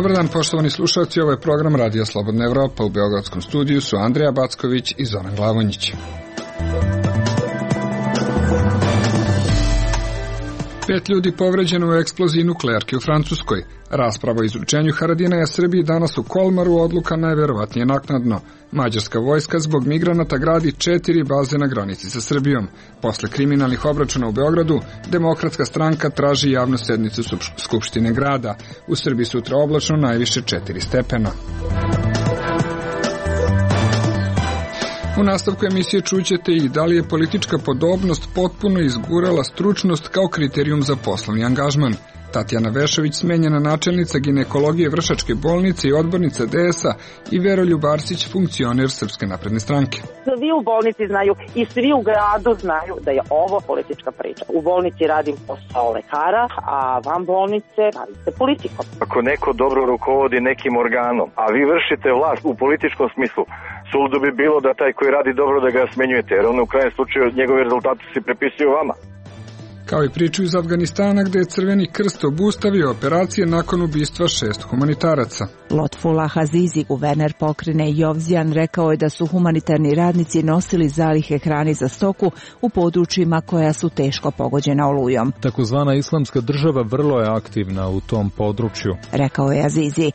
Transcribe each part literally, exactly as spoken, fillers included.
Dobar dan, poštovani slušalci, ovo je program Radija Slobodna Evropa. U beogradskom studiju su Andreja Backović i Zoran Glavonjić. Pet ljudi povređeno u eksploziji nuklearke u Francuskoj. Rasprava o izručenju Haradinaja Srbiji danas u Kolmaru, odluka najverovatnije naknadno. Mađarska vojska zbog migranata gradi četiri baze na granici sa Srbijom. Posle kriminalnih obračuna u Beogradu, Demokratska stranka traži javnu sednicu Skupštine grada. U Srbiji sutra oblačno, najviše četiri stepena. U nastavku emisije čućete i da li je politička podobnost potpuno izgurala stručnost kao kriterijum za poslovni angažman. Tatjana Vešović, smenjena načelnica ginekologije Vršačke bolnice i odbornica D S A, i Veroljub Arsić, funkcioner Srpske napredne stranke. Svi u bolnici znaju i svi u gradu znaju da je ovo politička priča. U bolnici radim posao lekara, a van bolnice bavim se politikom. Ako neko dobro rukovodi nekim organom, a vi vršite vlast u političkom smislu, suludo bi bilo da taj koji radi dobro da ga smenjujete, jer on u krajem slučaju njegovi rezultati se prepisuju vama. Kao i priču iz Afganistana gde je Crveni krst obustavio operacije nakon ubistva šest humanitaraca. Lotfullah Azizi, guverner pokrajine Jovzijan, rekao je da su humanitarni radnici nosili zalihe hrane za stoku u područjima koja su teško pogođena olujom. Takozvana islamska država vrlo je aktivna u tom području, rekao je Azizi.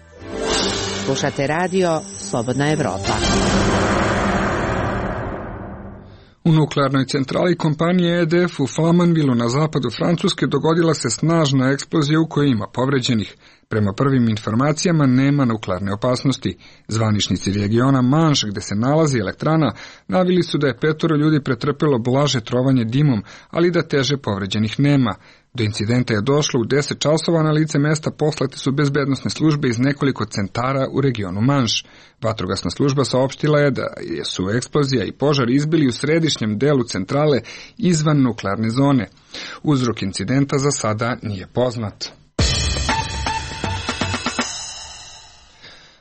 Slušate radio Slobodna Evropa. U nuklearnoj centrali kompanije E D F u Flamanvilu na zapadu Francuske dogodila se snažna eksplozija u kojoj ima povređenih. Prema prvim informacijama nema nuklearne opasnosti. Zvaničnici regiona Manš, gde se nalazi elektrana, navili su da je petoro ljudi pretrpelo blaže trovanje dimom, ali da teže povređenih nema. Do incidenta je došlo u deset časova, na lice mesta poslate su bezbednosne službe iz nekoliko centara u regionu Manš. Vatrogasna služba saopštila je da su eksplozija i požar izbili u središnjem delu centrale izvan nuklearne zone. Uzrok incidenta za sada nije poznat.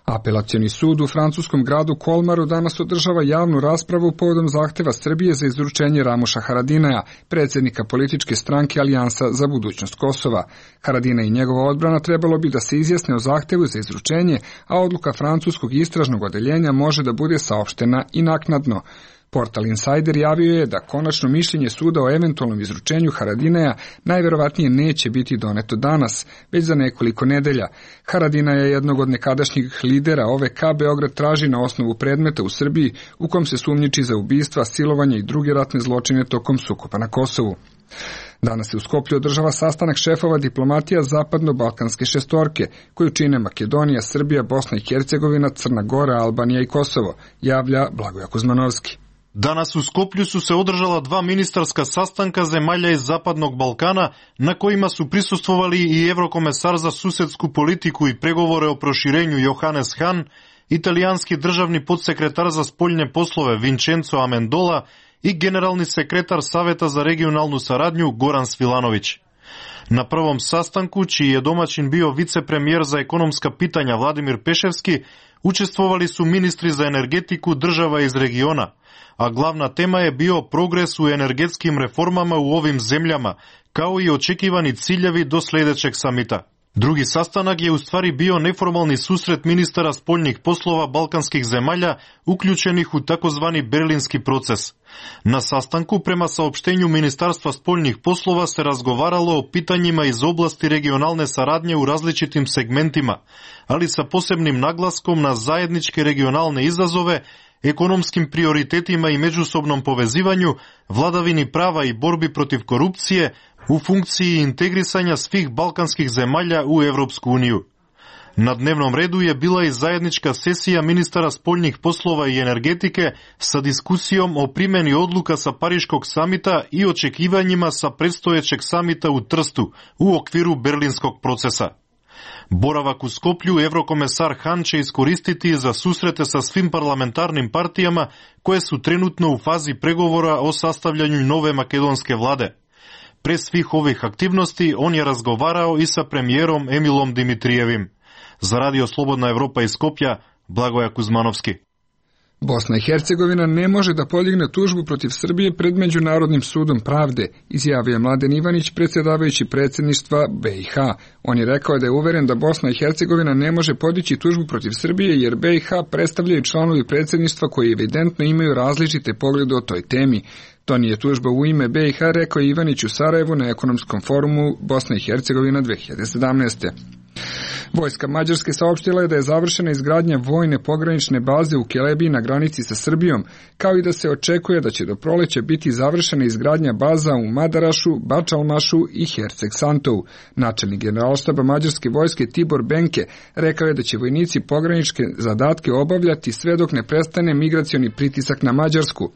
Apelacioni sud u francuskom gradu Kolmaru danas održava javnu raspravu povodom zahteva Srbije za izručenje Ramuša Haradinaja, predsjednika političke stranke Alijansa za budućnost Kosova. Haradinaj i njegova odbrana trebalo bi da se izjasne o zahtevu za izručenje, a odluka francuskog istražnog odeljenja može da bude saopštena i naknadno. Portal Insider javio je da konačno mišljenje suda o eventualnom izručenju Haradinaja najverovatnije neće biti doneto danas, već za nekoliko nedelja. Haradinaja je jednog od nekadašnjih lidera O V K Beograd traži na osnovu predmeta u Srbiji u kom se sumnjiči za ubistva, silovanje i druge ratne zločine tokom sukoba na Kosovu. Danas se u Skoplju održava sastanak šefova diplomatija zapadno-balkanske šestorke, koju čine Makedonija, Srbija, Bosna i Hercegovina, Crna Gora, Albanija i Kosovo, javlja Blagoje Kuzmanovski. Danas u Skoplju su se održala dva ministarska sastanka zemalja iz Zapadnog Balkana, na kojima su prisustvovali i evrokomesar za susedsku politiku i pregovore o proširenju Johannes Hahn, italijanski državni podsekretar za spoljne poslove Vincenzo Amendola i generalni sekretar Saveta za regionalnu saradnju Goran Svilanović. Na prvom sastanku, čiji je domaćin bio vicepremijer za ekonomska pitanja Vladimir Peševski, učestvovali su ministri za energetiku država iz regiona, a glavna tema je bio progres u energetskim reformama u ovim zemljama, kao i očekivani ciljevi do sljedećeg samita. Drugi sastanak je u stvari bio neformalni susret ministara spoljnih poslova balkanskih zemalja uključenih u takozvani berlinski proces. Na sastanku, prema saopštenju Ministarstva spoljnih poslova, se razgovaralo o pitanjima iz oblasti regionalne saradnje u različitim segmentima, ali sa posebnim naglaskom na zajedničke regionalne izazove, ekonomskim prioritetima i međusobnom povezivanju, vladavini prava i borbi protiv korupcije, u funkciji integrisanja svih balkanskih zemalja u Evropsku uniju. Na dnevnom redu je bila i zajednička sesija ministara spoljnih poslova i energetike sa diskusijom o primjeni odluka sa Pariškog samita i očekivanjima sa predstojećeg samita u Trstu u okviru berlinskog procesa. Boravak u Skoplju evrokomesar Hahn će iskoristiti za susrete sa svim parlamentarnim partijama koje su trenutno u fazi pregovora o sastavljanju nove makedonske vlade. Pre svih ovih aktivnosti on je razgovarao i sa premijerom Emilom Dimitrijevim. Za radio Slobodna Evropa iz Skopja, Blagoje Kuzmanovski. Bosna i Hercegovina ne može da podigne tužbu protiv Srbije pred Međunarodnim sudom pravde, izjavio je Mladen Ivanić, predsjedavajući predsjedništva B i H. On je rekao da je uveren da Bosna i Hercegovina ne može podići tužbu protiv Srbije jer B i H predstavljaju članovi predsjedništva koji evidentno imaju različite poglede o toj temi. To nije tužba u ime B i H, rekao je Ivanić u Sarajevu na ekonomskom forumu Bosna i Hercegovina dve hiljade sedamnaeste. Vojska Mađarske saopštila je da je završena izgradnja vojne pogranične baze u Kelebiji na granici sa Srbijom, kao i da se očekuje da će do proleća biti završena izgradnja baza u Madarašu, Bačalmašu i Herceg Santou. Načelnik generalštaba Mađarske vojske Tibor Benke rekao je da će vojnici pogranične zadatke obavljati sve dok ne prestane migracioni pritisak na Mađarsku.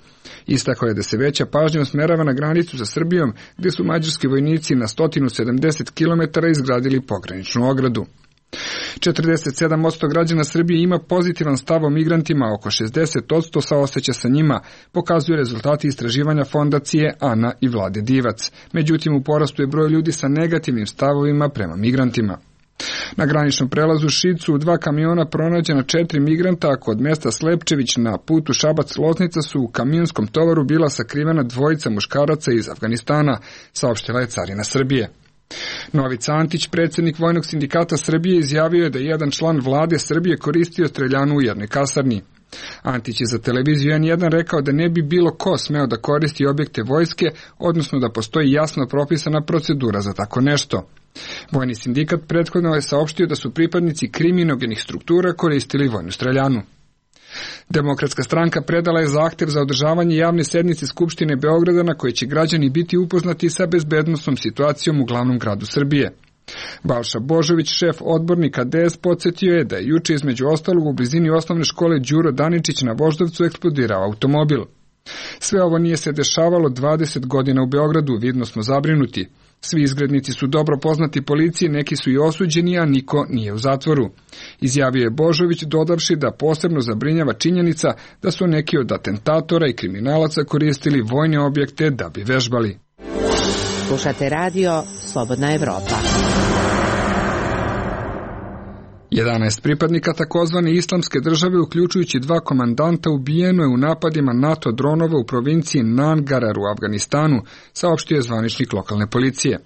Istakao je da se veća pažnja usmerava na granicu sa Srbijom, gdje su mađarski vojnici na sto sedamdeset kilometara izgradili pograničnu ogradu. četrdeset sedam posto građana Srbije ima pozitivan stav o migrantima, oko šezdeset posto saoseća sa njima, pokazuju rezultati istraživanja fondacije Ana i Vlade Divac. Međutim, u porastu je broj ljudi sa negativnim stavovima prema migrantima. Na graničnom prelazu Šicu u dva kamiona pronađena četiri migranta, a kod mesta Slepčević na putu Šabac-Loznica su u kamionskom tovaru bila sakrivena dvojica muškaraca iz Afganistana, saopštila je Carina Srbije. Novica Antić, predsjednik Vojnog sindikata Srbije, izjavio je da je jedan član vlade Srbije koristio streljanu u jednoj kasarni. Antić je za televiziju en jedan rekao da ne bi bilo ko smeo da koristi objekte vojske, odnosno da postoji jasno propisana procedura za tako nešto. Vojni sindikat prethodno je saopštio da su pripadnici kriminogenih struktura koristili vojnu streljanu. Demokratska stranka predala je zahtev za održavanje javne sednice Skupštine Beograda na kojoj će građani biti upoznati sa bezbednosnom situacijom u glavnom gradu Srbije. Balša Božović, šef odbornika D S, podsjetio je da je juče između ostalog u blizini osnovne škole Đuro Daničić na Voždovcu eksplodirao automobil. Sve ovo nije se dešavalo dvadeset godina u Beogradu, vidno smo zabrinuti. Svi izgrednici su dobro poznati policiji, neki su i osuđeni, a niko nije u zatvoru. Izjavio je Božović, dodavši da posebno zabrinjava činjenica da su neki od atentatora i kriminalaca koristili vojne objekte da bi vežbali. Slušate radio Slobodna Evropa. jedanaest pripadnika takozvane islamske države, uključujući dva komandanta, ubijeno je u napadima NATO dronova u provinciji Nangarhar u Afganistanu, saopštio je zvaničnik lokalne policije.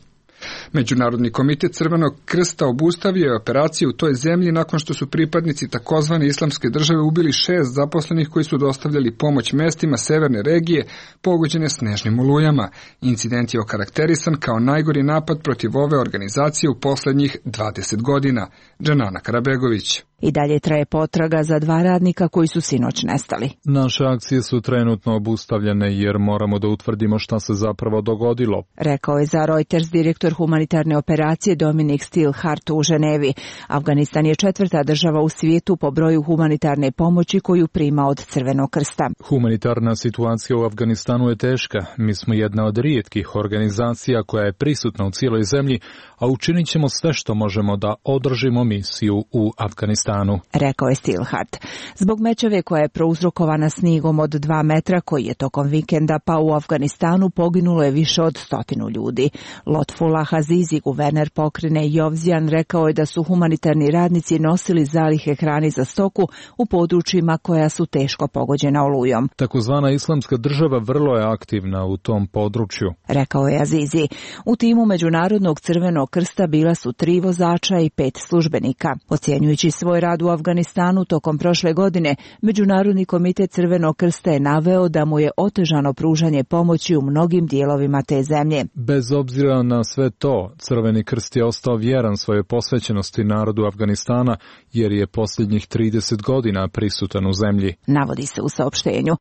Međunarodni komitet Crvenog krsta obustavio je operacije u toj zemlji nakon što su pripadnici takozvane islamske države ubili šest zaposlenih koji su dostavljali pomoć mestima severne regije pogođene snežnim olujama. Incident je okarakterisan kao najgori napad protiv ove organizacije u poslednjih dvadeset godina. Džanana Karabegović. I dalje traje potraga za dva radnika koji su sinoć nestali. Naše akcije su trenutno obustavljene jer moramo da utvrdimo šta se zapravo dogodilo, rekao je za Reuters direktor humanitarne operacije Dominik Stilhart u Ženevi. Afganistan je četvrta država u svijetu po broju humanitarne pomoći koju prima od Crvenog krsta. Humanitarna situacija u Afganistanu je teška. Mi smo jedna od rijetkih organizacija koja je prisutna u cijeloj zemlji, a učinit ćemo sve što možemo da održimo misiju u Afganistanu, rekao je Stilhart. Zbog mećave koja je prouzrokovana snigom od dva metra koji je tokom vikenda pao u Afganistanu, poginulo je više od stotinu ljudi. Lotfullah Azizi, guverner pokrajine Jovzijan, rekao je da su humanitarni radnici nosili zalihe hrane za stoku u područjima koja su teško pogođena olujom. Takozvana islamska država vrlo je aktivna u tom području, rekao je Azizi. U timu Međunarodnog crvenog krsta bila su tri vozača i pet službenika. Ocjenjujući svoj rad u Afganistanu tokom prošle godine, Međunarodni komitet Crvenog krsta je naveo da mu je otežano pružanje pomoći u mnogim dijelovima te zemlje. Bez obzira na sve to, Crveni krst je ostao vjeran svojoj posvećenosti narodu Afganistana jer je posljednjih trideset godina prisutan u zemlji, navodi se u saopštenju.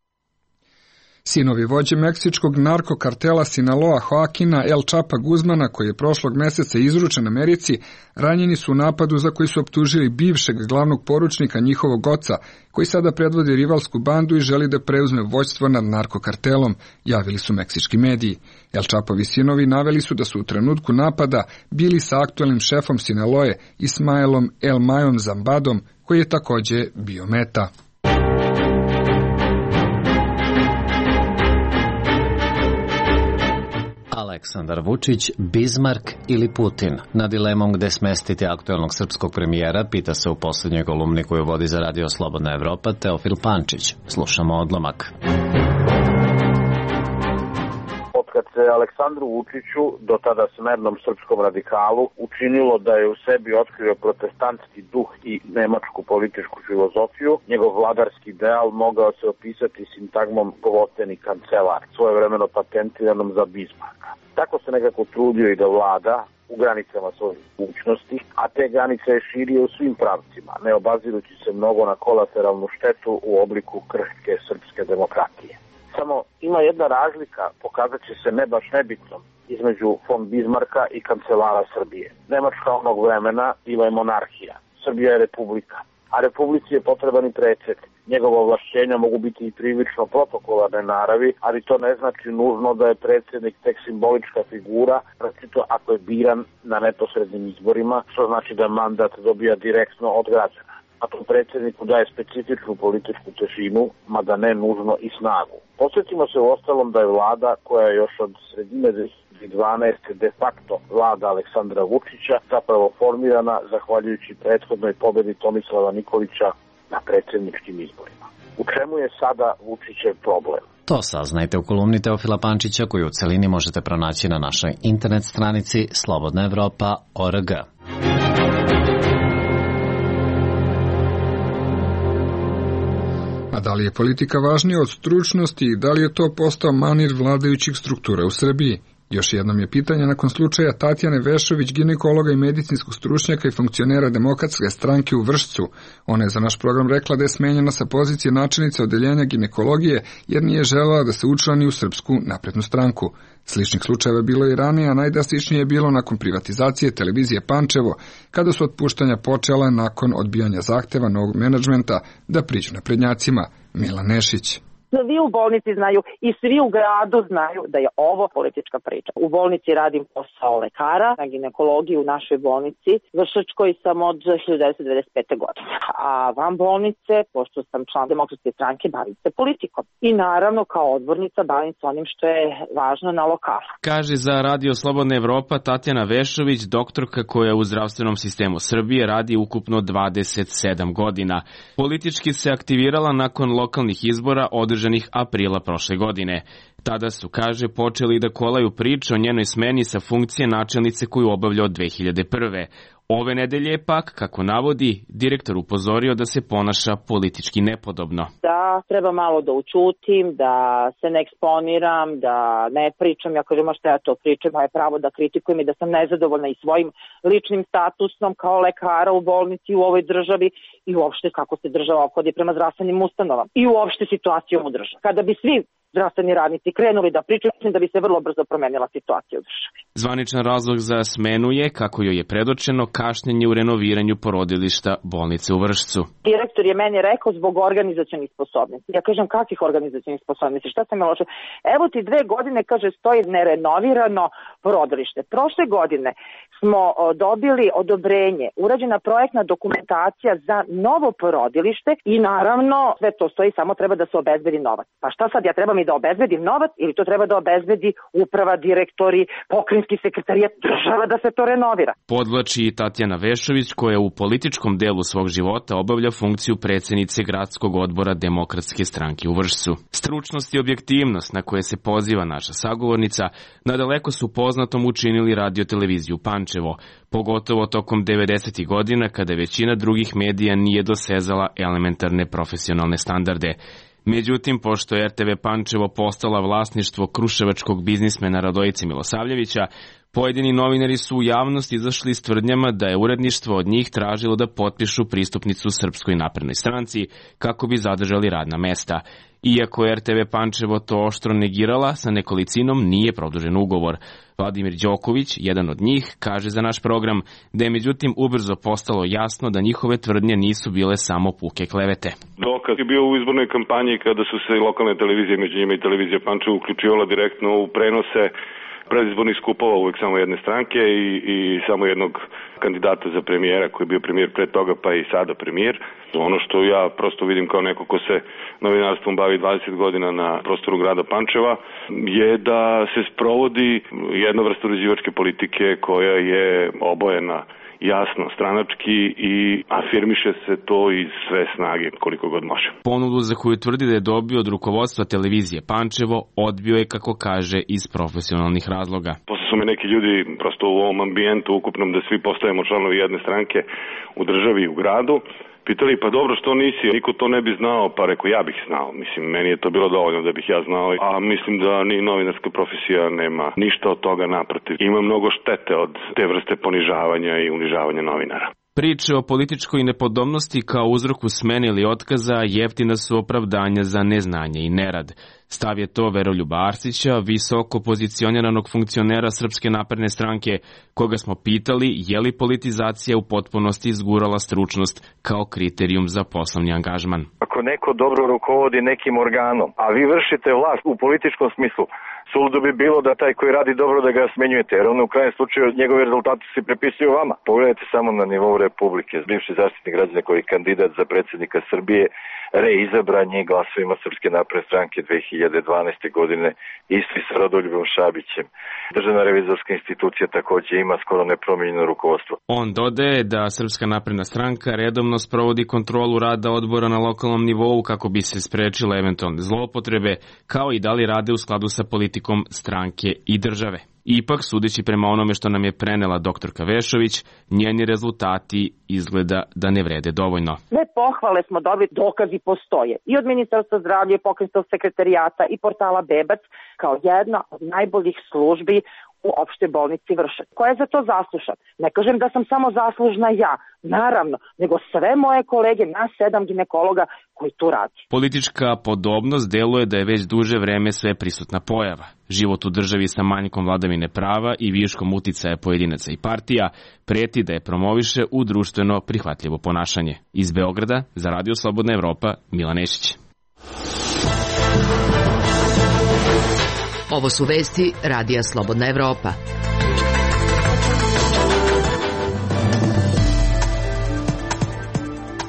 Sinovi vođe meksičkog narkokartela Sinaloa Joaquina El Chapa Guzmana, koji je prošlog mjeseca izručen Americi, ranjeni su u napadu za koji su optužili bivšeg glavnog poručnika njihovog oca, koji sada predvodi rivalsku bandu i želi da preuzme vođstvo nad narkokartelom, javili su meksički mediji. El Chapovi sinovi naveli su da su u trenutku napada bili sa aktualnim šefom Sinaloe, Ismaelom El Mayom Zambadom, koji je također bio meta. Aleksandar Vučić, Bizmark ili Putin? Na dilemom gde smestiti aktuelnog srpskog premijera pita se u poslednjoj kolumni koju vodi za Radio Slobodna Evropa Teofil Pančić. Slušamo odlomak. Kad se Aleksandru Vučiću, do tada smernom srpskom radikalu, učinilo da je u sebi otkrio protestantski duh i nemačku političku filozofiju, njegov vladarski ideal mogao se opisati sintagmom gloteni kancelar, svojevremeno patentiranom za Bizmarka. Tako se nekako trudio i da vlada u granicama svojih mogućnosti, a te granice je širio u svim pravcima, ne obazirući se mnogo na kolateralnu štetu u obliku krhke srpske demokratije. Samo ima jedna razlika, pokazat će se ne baš nebitnom, između von Bizmarka i kancelara Srbije. Nemačka onog vremena bila je monarhija, Srbija je republika, a republici je potreban i predsjednik. Njegova ovlašćenja mogu biti i prilično protokolarne naravi, ali to ne znači nužno da je predsjednik tek simbolička figura, recito ako je biran na neposrednim izborima, što znači da mandat dobija direktno od građana. A to predsjedniku daje specifičnu političku težinu, mada ne nužno i snagu. Posjetimo se u ostalom da je vlada koja je još od sredine dve hiljade dvanaeste de facto vlada Aleksandra Vučića zapravo formirana zahvaljujući prethodnoj pobedi Tomislava Nikolića na predsjedničkim izborima. U čemu je sada Vučićev problem? To saznajte u kolumni Teofila Pančića koju u celini možete pronaći na našoj internet stranici slobodna evropa tačka org. A da li je politika važnija od stručnosti i da li je to postao manir vladajućih struktura u Srbiji? Još jednom je pitanje nakon slučaja Tatjane Vešović, ginekologa i medicinskog stručnjaka i funkcionera Demokratske stranke u Vršcu. Ona je za naš program rekla da je smenjena sa pozicije načelnice odeljenja ginekologije jer nije želela da se učlani u Srpsku naprednu stranku. Sličnih slučajeva bilo i ranije, a najdrastičnije je bilo nakon privatizacije televizije Pančevo, kada su otpuštanja počela nakon odbijanja zahteva novog menadžmenta da priđu naprednjacima. Milan Nešić. Svi u bolnici znaju i svi u gradu znaju da je ovo politička priča. U bolnici radim posao lekara, na ginekologiji u našoj bolnici, Vršačkoj sam od hiljadu devetsto devedeset pete. godine. A van bolnice, pošto sam član Demokratske stranke, bavim se politikom. I naravno kao odbornica bavim se onim što je važno na lokalu. Kaže za Radio Slobodna Evropa Tatjana Vešović, doktorka koja u zdravstvenom sistemu Srbije radi ukupno dvadeset sedam godina. Politički se aktivirala nakon lokalnih izbora održanih aprila prošle godine. Tada su, kaže, počeli da kolaju priče o njenoj smeni sa funkcije načelnice koju obavlja od dve hiljade prve. Ove nedelje je pak, kako navodi, direktor upozorio da se ponaša politički nepodobno. Da treba malo da učutim, da se ne eksponiram, da ne pričam. Ja kažem, a šta ja to pričam, moje pravo da kritikujem i da sam nezadovoljna i svojim ličnim statusom kao lekara u bolnici u ovoj državi i uopšte kako se država ophodi prema zdravstvenim ustanovama i uopšte situacijom u državi. Kada bi svi zdravstveni radnici krenuli da pričaju, mislim da bi se vrlo brzo promenila situacija u državi. Zvaničan razlog za smenu je, kako joj je predočeno, kašnjenje u renoviranju porodilišta bolnice u Vršcu. Direktor je meni rekao zbog organizacionih sposobnosti. Ja kažem, kakvih organizacionih sposobnosti? Šta sam je loše? Evo ti dve godine, kaže, stoji nerenovirano porodilište. Prošle godine smo dobili odobrenje, urađena projektna dokumentacija za novo porodilište i naravno sve to stoji, samo treba da se obezbedi novac. Pa šta sad, ja trebam i da obezbedim novac ili to treba da obezbedi uprava, direktori, pokrajinski sekretarijat, država da se to renovira? Podvlači i Tatjana Vešović, koja u političkom delu svog života obavlja funkciju predsjednice gradskog odbora Demokratske stranke u Vršcu. Stručnost i objektivnost na koje se poziva naša sagovornica nadaleko su poznatom učinili radio-televiziju Pančevo, pogotovo tokom devedesetih godina kada većina drugih medija nije dosezala elementarne profesionalne standarde. Međutim, pošto je er te ve Pančevo postala vlasništvo kruševačkog biznismena Radojice Milosavljevića, pojedini novinari su u javnost izašli s tvrdnjama da je uredništvo od njih tražilo da potpišu pristupnicu Srpskoj naprednoj stranci kako bi zadržali radna mesta. Iako je er te ve Pančevo to oštro negirala, sa nekolicinom nije produžen ugovor. Vladimir Đoković, jedan od njih, kaže za naš program da je međutim ubrzo postalo jasno da njihove tvrdnje nisu bile samo puke klevete. Dokaz je bio u izbornoj kampanji kada su se lokalne televizije, među njima i televizija Pančevo, uključivala direktno u prenose predizbornih skupova uvek samo jedne stranke i, i samo jednog kandidata za premijera koji je bio premijer pre toga pa i sada premijer. Ono što ja prosto vidim kao neko ko se novinarstvom bavi dvadeset godina na prostoru grada Pančeva je da se sprovodi jedna vrsta uređivačke politike koja je obojena jasno, stranački i afirmiše se to iz sve snage koliko god može. Ponudu za koju tvrdi da je dobio od rukovodstva televizije Pančevo odbio je, kako kaže, iz profesionalnih razloga. Posle su me neki ljudi prosto u ovom ambijentu ukupnom da svi postajemo članovi jedne stranke u državi i u gradu, pitali, pa dobro, što nisi, niko to ne bi znao, pa rekao, ja bih znao. Mislim, meni je to bilo dovoljno da bih ja znao, a mislim da ni novinarska profesija nema ništa od toga, naprotiv. Ima mnogo štete od te vrste ponižavanja i unižavanja novinara. Priče o političkoj nepodobnosti kao uzroku smene ili otkaza jeftina su opravdanja za neznanje i nerad. Stav je to Veroljuba Arsića, visoko pozicioniranog funkcionera Srpske napredne stranke, koga smo pitali je li politizacija u potpunosti izgurala stručnost kao kriterijum za poslovni angažman. Ako neko dobro rukovodi nekim organom, a vi vršite vlast u političkom smislu, suludo bi bilo da taj koji radi dobro da ga smenjujete, jer on u krajem slučaju njegovi rezultati se prepisuju vama. Pogledajte samo na nivou Republike. Bivši zaštitnik građana koji je kandidat za predsjednika Srbije reizabran je glasovima Srpske napredne stranke dve hiljade dvanaeste. godine, isti sa Rodoljubom Šabićem. Državna revizorska institucija takođe ima skoro nepromenjeno rukovodstvo. On dodaje da Srpska napredna stranka redovno sprovodi kontrolu rada odbora na lokalnom nivou kako bi se sprečile eventualne zloupotrebe, kao i da li rade u skladu sa politikom stranke i države. Ipak, sudeći prema onome što nam je prenela doktorka Vešović, njeni rezultati izgleda da ne vrede dovoljno. Sve pohvale smo dobili, dokazi postoje. I od Ministarstva zdravlja, i Pokrajinskog sekretarijata, i portala Bebac, kao jedna od najboljih službi u opštoj bolnici Vršac. Ko je za to zaslužan? Ne kažem da sam samo zaslužna ja, naravno, nego sve moje kolege, nas sedam ginekologa koji tu radi. Politička podobnost deluje da je već duže vreme sve prisutna pojava. Život u državi sa manjkom vladavine prava i viškom uticaja pojedinaca i partija preti da je promoviše u društveno prihvatljivo ponašanje. Iz Beograda, za Radio Slobodna Evropa, Milan Nešić. Ovo su vesti Radija Slobodna Evropa.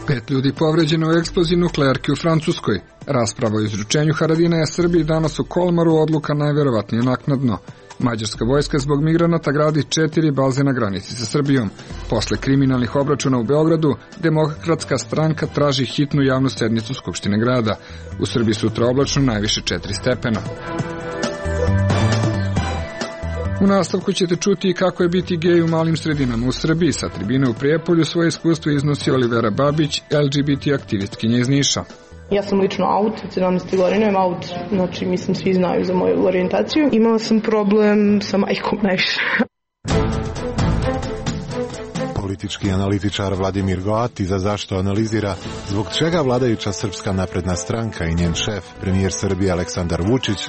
Pet ljudi povređeno u eksploziji nuklearki u Francuskoj. Rasprava o izručenju Haradinaja Srbiji danas u Kolmaru, odluka najverovatnije naknadno. Mađarska vojska zbog migranata gradi četiri baze na granici sa Srbijom. Posle kriminalnih obračuna u Beogradu, Demokratska stranka traži hitnu javnu sednicu Skupštine grada. U Srbiji sutra oblačno, najviše četiri stepena. U nastavku ćete čuti kako je biti gej u malim sredinama u Srbiji. Sa tribine u Prijepolju svoje iskustvo iznosi Olivera Babić, L G B T aktivistkinja iz Niša. Ja sam lično aut, od sedamnaeste godine imam aut, znači mislim svi znaju za moju orijentaciju. Imala sam problem sa majkom najviše. Politički analitičar Vladimir Goati za zašto analizira zbog čega vladajuća Srpska napredna stranka i njen šef, premijer Srbije Aleksandar Vučić,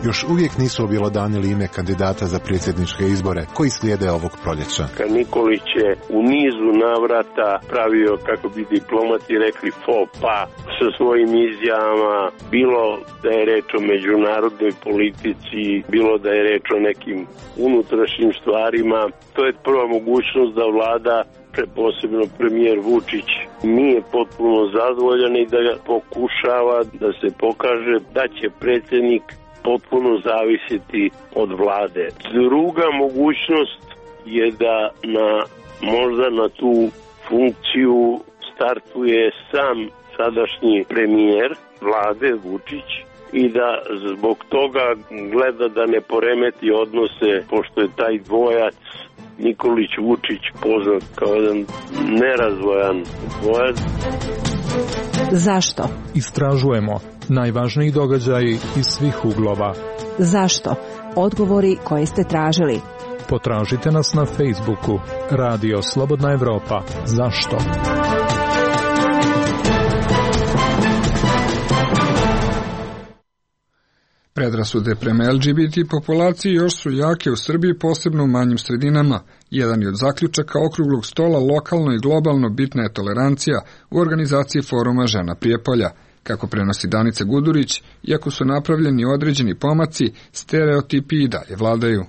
još uvijek nisu objelodanili ime kandidata za predsjedničke izbore koji slijede ovog proljeća. Nikolić je u nizu navrata pravio, kako bi diplomati rekli, faux pas sa svojim izjavama, bilo da je reč o međunarodnoj politici, bilo da je reč o nekim unutrašnjim stvarima. To je prva mogućnost da vlada, posebno premijer Vučić, nije potpuno zadovoljan i da pokušava da se pokaže da će predsjednik potpuno zavisiti od vlade. Druga mogućnost je da na, možda na tu funkciju startuje sam sadašnji premijer vlade Vučić i da zbog toga gleda da ne poremeti odnose, pošto je taj dvojac Nikolić Vučić poznat kao jedan nerazvojan dvojac. Zašto? Istražujemo najvažniji događaji iz svih uglova. Zašto? Odgovori koje ste tražili. Potražite nas na Facebooku Radio Slobodna Evropa. Zašto? Predrasude prema L G B T populaciji još su jake u Srbiji, posebno u manjim sredinama. Jedan je od zaključaka okruglog stola lokalno i globalno bitna je tolerancija u organizaciji foruma Žena Prijepolja. Kako prenosi Danica Gudurić, iako su napravljeni određeni pomaci, stereotipi i dalje vladaju.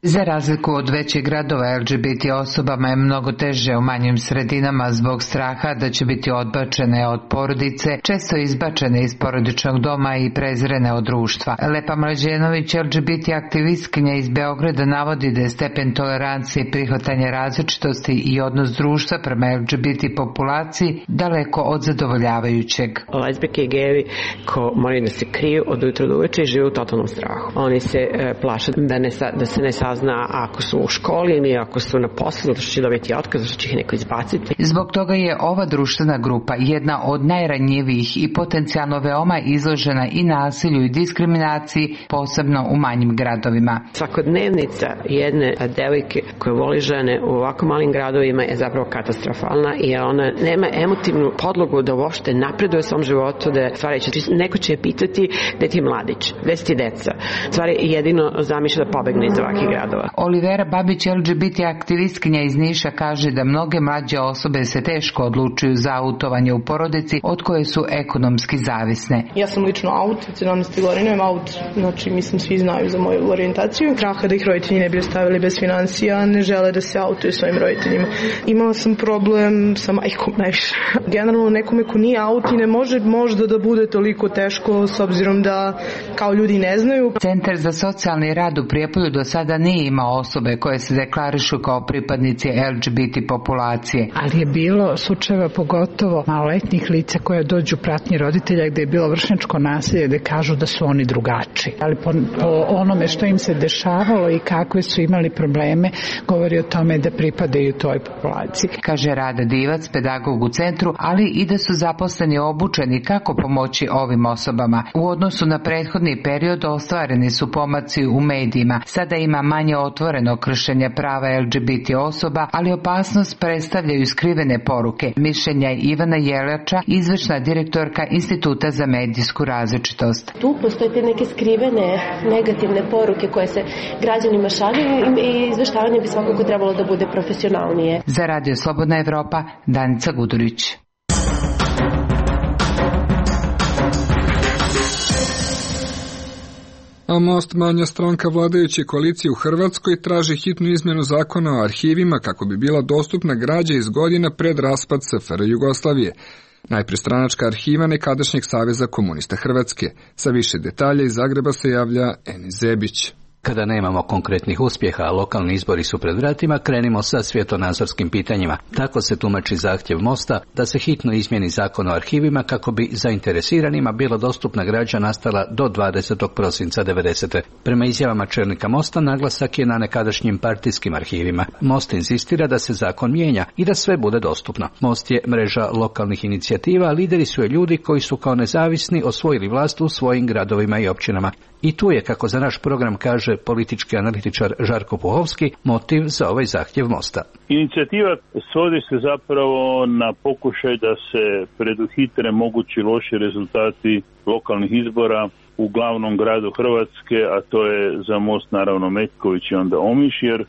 Za razliku od većih gradova, el ge be te osobama je mnogo teže u manjim sredinama zbog straha da će biti odbačene od porodice, često izbačene iz porodičnog doma i prezrene od društva. Lepa Mlađenović, el ge be te aktivistkinja iz Beograda, navodi da je stepen tolerancije, prihvatanje različitosti i odnos društva prema el ge be te populaciji daleko od zadovoljavajućeg. Lezbijke i gejevi ko moraju da se kriju od ujutra do uveče i žive u totalnom strahu. Oni se e, plaše da, ne, da se ne sazna ako su u školi ili ako su na poslu, da će dobiti otkaz, da će ih neko izbaciti. Zbog toga je ova društvena grupa jedna od najranjivijih i potencijalno veoma izložena i nasilju i diskriminaciji, posebno u manjim gradovima. Svakodnevnica jedne devojke koja voli žene u ovako malim gradovima je zapravo katastrofalna i ona nema emotivnu podlogu da uopšte napreduje u svom životu, da stvari će, neko će je pitati gde ti je mladić, gde si ti deca. Stvari jedino zamišlja da pobegne iz ovakvih gradova. Olivera Babić, el ge be te aktivistkinja iz Niša, kaže da mnoge mlađe osobe se teško odlučuju za autovanje u porodici od koje su ekonomski zavisne. Ja sam lično aut, sedamnaeste godine imam aut, znači mislim svi znaju za moju orijentaciju. Straha da ih roditelji ne bi ostavili bez financija, ne žele da se autuju svojim roditeljima. Imala sam problem sa majkom najviše. Generalno nekome ko nije aut i ne može možda da bude toliko teško s obzirom da kao ljudi ne znaju. Centar za socijalni rad u Prijepolju do sada nije imao osobe koje se deklarišu kao pripadnici el ge be te populacije. Ali je bilo slučajeva pogotovo maloletnih lica koja dođu pratnji roditelja gde je bilo vršnjačko nasilje, gde kažu da su oni drugačiji. Ali po, po onome što im se dešavalo i kakve su imali probleme, govori o tome da pripadaju toj populaciji. Kaže Rada Divac, pedagog u centru, ali i da su zaposleni obučeni kako pomoći ovim osobama. U odnosu na prethodni period ostvareni su pomaci u medijima. Sada ima manje otvoreno kršenja prava el ge be te osoba, ali opasnost predstavljaju skrivene poruke. Mišljenja Ivana Jelača, izvršna direktorka Instituta za medijsku različitost. Tu postoje te neke skrivene negativne poruke koje se građanima šalju i izveštavanje bi svakako trebalo da bude profesionalnije. Za Radio Slobodna Evropa, Danica Gudurić. A Most, manja stranka vladajuće koalicije u Hrvatskoj, traži hitnu izmjenu zakona o arhivima kako bi bila dostupna građa iz godina pred raspad es ef er Jugoslavije. Najpre stranačka arhiva nekadašnjeg Saveza komunista Hrvatske. Sa više detalja iz Zagreba se javlja Eni Zebić. Kada nemamo konkretnih uspjeha, a lokalni izbori su pred vratima, krenimo sa svjetonazorskim pitanjima. Tako se tumači zahtjev Mosta da se hitno izmijeni zakon o arhivima kako bi zainteresiranima bila dostupna građa nastala do dvadesetog prosinca devedesete. Prema izjavama čelnika Mosta, naglasak je na nekadašnjim partijskim arhivima. Most inzistira da se zakon mijenja i da sve bude dostupno. Most je mreža lokalnih inicijativa, a lideri su je ljudi koji su kao nezavisni osvojili vlast u svojim gradovima i općinama. I tu je, kako za naš program kaže politički analitičar Žarko Puhovski, motiv za ovaj zahtjev Mosta. Inicijativa svodi se zapravo na pokušaj da se preduhitre mogući loši rezultati lokalnih izbora u glavnom gradu Hrvatske, a to je za Most naravno Metković i onda Omiš, jer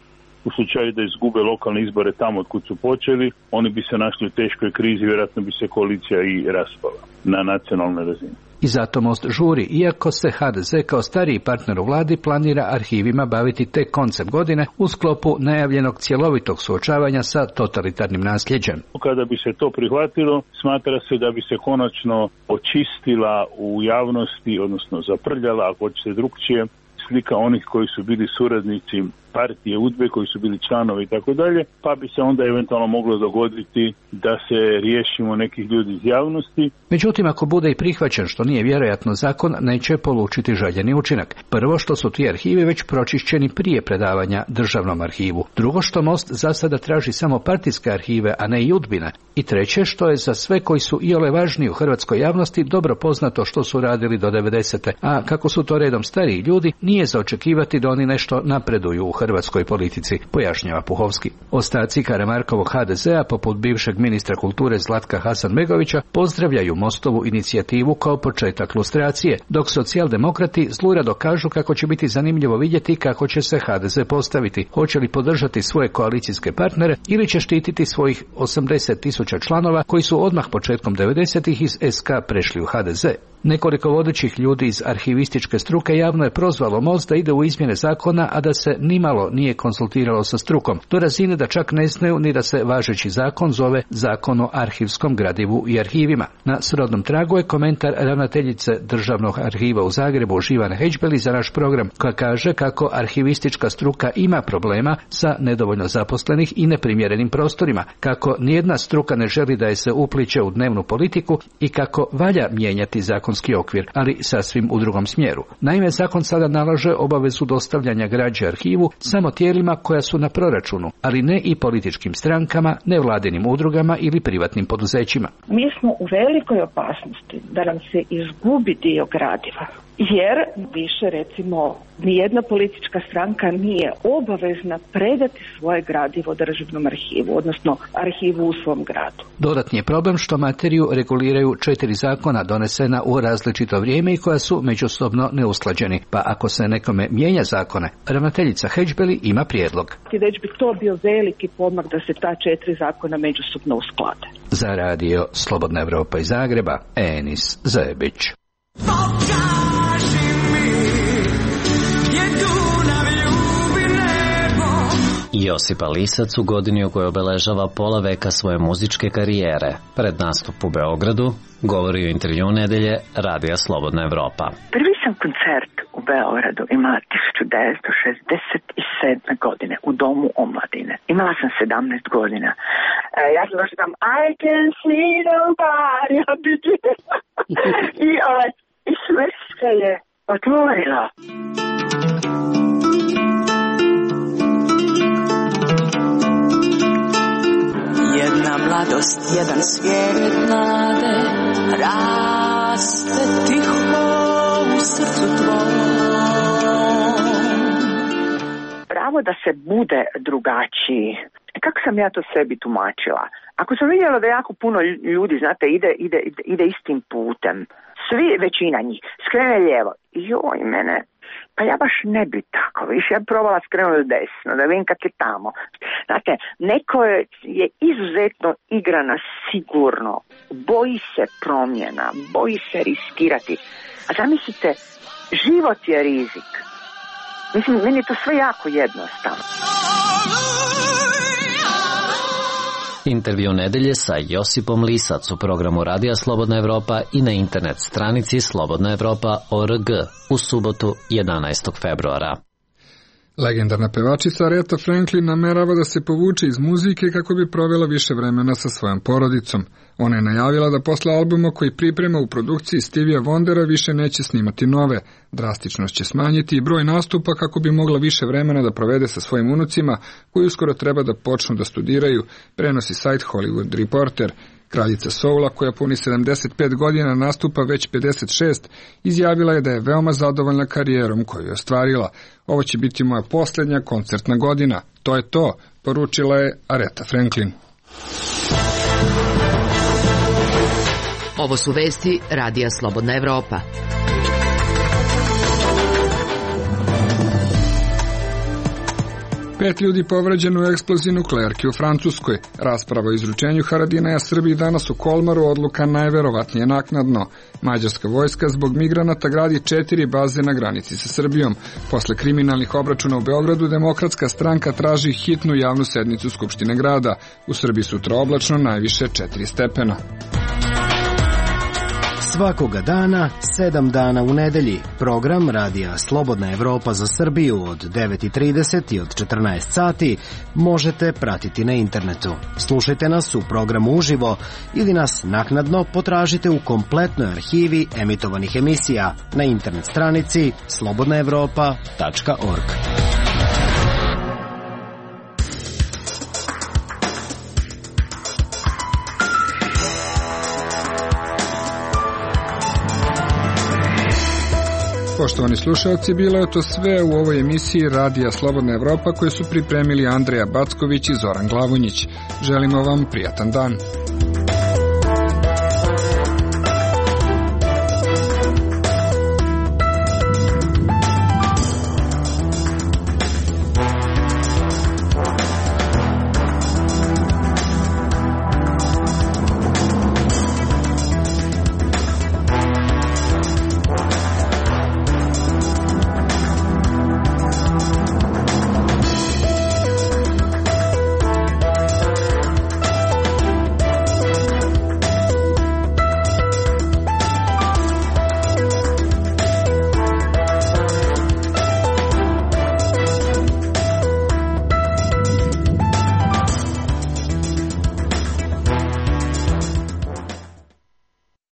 u slučaju da izgube lokalne izbore tamo od kud su počeli, oni bi se našli u teškoj krizi, vjerojatno bi se koalicija i raspala na nacionalnoj razini. I zato Most žuri, iako se ha de ze kao stariji partner u vladi planira arhivima baviti tek koncem godine u sklopu najavljenog cjelovitog suočavanja sa totalitarnim nasljeđem. Kada bi se to prihvatilo, smatra se da bi se konačno očistila u javnosti, odnosno zaprljala, ako hoćete drukčije, slika onih koji su bili suradnici partije udbe, koji su bili članovi i tako dalje, pa bi se onda eventualno moglo dogoditi da se riješimo nekih ljudi iz javnosti. Međutim, ako bude i prihvaćen, što nije vjerojatno, zakon neće polučiti željeni učinak. Prvo, što su ti arhivi već pročišćeni prije predavanja državnom arhivu. Drugo, što Most za sada traži samo partijske arhive, a ne i udbine. I treće, što je za sve koji su iole važni u hrvatskoj javnosti dobro poznato što su radili do devedesete, a kako su to redom stariji ljudi, nije za očekivati da oni nešto napreduju u hrvatskoj politici, pojašnjava Puhovski. Ostaci Karamarkovog ha de zea, poput bivšeg ministra kulture Zlatka Hasanbegovića, pozdravljaju Mostovu inicijativu kao početak lustracije, dok socijaldemokrati zlurado kažu kako će biti zanimljivo vidjeti kako će se ha de ze postaviti, hoće li podržati svoje koalicijske partnere ili će štititi svojih osamdeset tisuća članova koji su odmah početkom devedesetih iz es ka prešli u ha de ze. Nekoliko vodećih ljudi iz arhivističke struke javno je prozvalo Most da ide u izmjene zakona, a da se nima nimalo nije konsultiralo sa strukom, do razine da čak ne znaju ni da se važeći zakon zove Zakon o arhivskom gradivu i arhivima. Na srodnom tragu je komentar ravnateljice Državnog arhiva u Zagrebu Živane Hedžbeli za naš program, koja kaže kako arhivistička struka ima problema sa nedovoljno zaposlenih i neprimjerenim prostorima, kako nijedna struka ne želi da je se upliče u dnevnu politiku i kako valja mijenjati zakonski okvir, ali sasvim u drugom smjeru. Naime, zakon sada nalaže obavezu dostavljanja građe arhivu samo tijelima koja su na proračunu, ali ne i političkim strankama, nevladinim udrugama ili privatnim poduzećima. Mi smo u velikoj opasnosti da nam se izgubi dio gradiva, jer više recimo nijedna politička stranka nije obavezna predati svoje gradivo Državnom arhivu, odnosno arhivu u svom gradu. Dodatni je problem što materiju reguliraju četiri zakona donesena u različito vrijeme i koja su međusobno neusklađeni, pa ako se nekome mijenja zakone, ravnateljica Hedžbeli ima prijedlog. Već bi to bio veliki pomak da se ta četiri zakona međusobno usklade. Za radio Slobodna Evropa iz Zagreba, Enis Zebić. Josipa Lisac u godini u kojoj obeležava pola veka svoje muzičke karijere. Pred nastup u Beogradu govori u intervju nedelje Radija Slobodna Evropa. Prvi sam koncert u Beogradu imala hiljadu devetsto šezdeset sedme. godine u Domu omladine. Imala sam sedamnaest godina. E, ja sam došla tam I can see nobody i, ovaj, i sve se je otvorilo. Jedna mladost, jedan svijet nade, raste tiho u srcu tvojom. Pravo da se bude drugačiji. Kako sam ja to sebi tumačila? Ako sam vidjela da jako puno ljudi, znate, ide, ide, ide istim putem, svi, većina njih, skrene lijevo. Joj, mene, pa ja baš ne bi tako, više ja probala skrenuti desno, da vidim kak je tamo. Znate, neko je, je izuzetno igrana sigurno, boji se promjena, boji se riskirati. A zamislite, život je rizik. Mislim, meni je to sve jako jednostavno. Intervju nedelje sa Josipom Lisac u programu Radija Slobodna Evropa i na internet stranici slobodna evropa tačka org u subotu jedanaestog februara. Legendarna pevačica Aretha Franklin namerava da se povuče iz muzike kako bi provela više vremena sa svojom porodicom. Ona je najavila da posle albuma koji priprema u produkciji Stevija Wondera više neće snimati nove. Drastično će smanjiti i broj nastupa kako bi mogla više vremena da provede sa svojim unucima koji uskoro treba da počnu da studiraju, prenosi sajt Hollywood Reporter. Kraljica soula, koja puni sedamdeset pet godina, nastupa već pedeset šest, izjavila je da je veoma zadovoljna karijerom koju je ostvarila. Ovo će biti moja posljednja koncertna godina. To je to, poručila je Aretha Franklin. Ovo su vesti Radija Slobodna Evropa. Pet ljudi povređeno u eksploziji nuklearke u Francuskoj. Rasprava o izručenju Haradinaja Srbiji danas u Kolmaru, odluka najverovatnije naknadno. Mađarska vojska zbog migranata gradi četiri baze na granici sa Srbijom. Posle kriminalnih obračuna u Beogradu, Demokratska stranka traži hitnu javnu sednicu Skupštine grada. U Srbiji sutra oblačno, najviše četiri stepena. Svakoga dana, sedam dana u nedelji. Program Radija Slobodna Evropa za Srbiju od devet i trideset i od četrnaest sati možete pratiti na internetu. Slušajte nas u programu uživo ili nas naknadno potražite u kompletnoj arhivi emitovanih emisija na internet stranici slobodna evropa tačka org. Poštovani slušalci, bilo je to sve u ovoj emisiji Radija Slobodna Evropa koju su pripremili Andreja Backović i Zoran Glavonjić. Želimo vam prijatan dan.